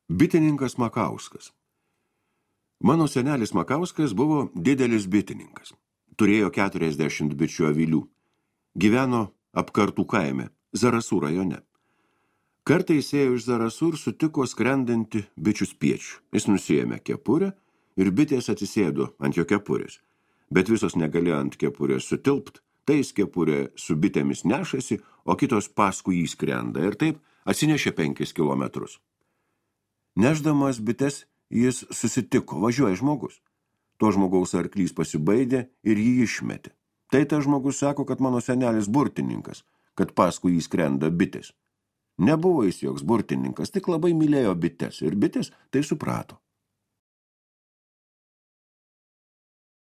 Bitininkas Makauskas. Mano senelis Makauskas buvo didelis bitininkas. Turėjo 40 bičių avilių. Gyveno Apkartų kaime, Zarasų rajone. Kartą jis ėjo iš Zarasų ir sutiko skrendantį bičių spiečių. Jis nusiėmė kepurę ir bitės atsisėdo ant jo kepurės. Bet visos negalėjo ant kepurės sutilpt, tai jis kepurė su bitėmis nešasi, o kitos paskui jį skrenda ir taip atsinešė 5 kilometrus. Nešdamas bites jis susitiko, važiuoja žmogus. To žmogaus arklys pasibaidė ir jį išmetė. Tai tas žmogus sako, kad mano senelis burtininkas, kad paskui jį skrenda bitės. Nebuvo jis joks burtininkas, tik labai mylėjo bites ir bitės tai suprato.